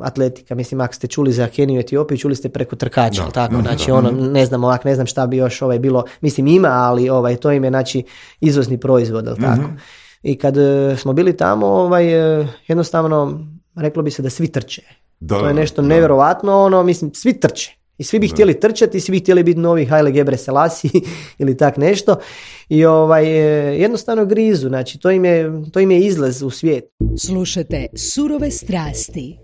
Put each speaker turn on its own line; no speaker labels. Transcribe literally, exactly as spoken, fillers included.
atletika. Mislim, ako ste čuli za Keniju i Etiopiju, čuli ste preko trkača,
da,
tako,
da,
znači
da,
ono,
da.
ne znam ovak, ne znam šta bi još ovaj bilo, mislim ima, ali ovaj, to im je znači izvozni proizvod, ali tako.
Mm-hmm.
I kad uh, smo bili tamo, ovaj, uh, jednostavno, reklo bi se da svi trče.
Da,
to je nešto
da.
nevjerovatno, ono, mislim, svi trče. I svi bi
da.
htjeli trčati, svi bi htjeli biti novi Haile Gebrselassie ili tak nešto. I ovaj, jednostavno grizu, znači to im je, to im je izlaz u svijet.
Slušate Surove strasti.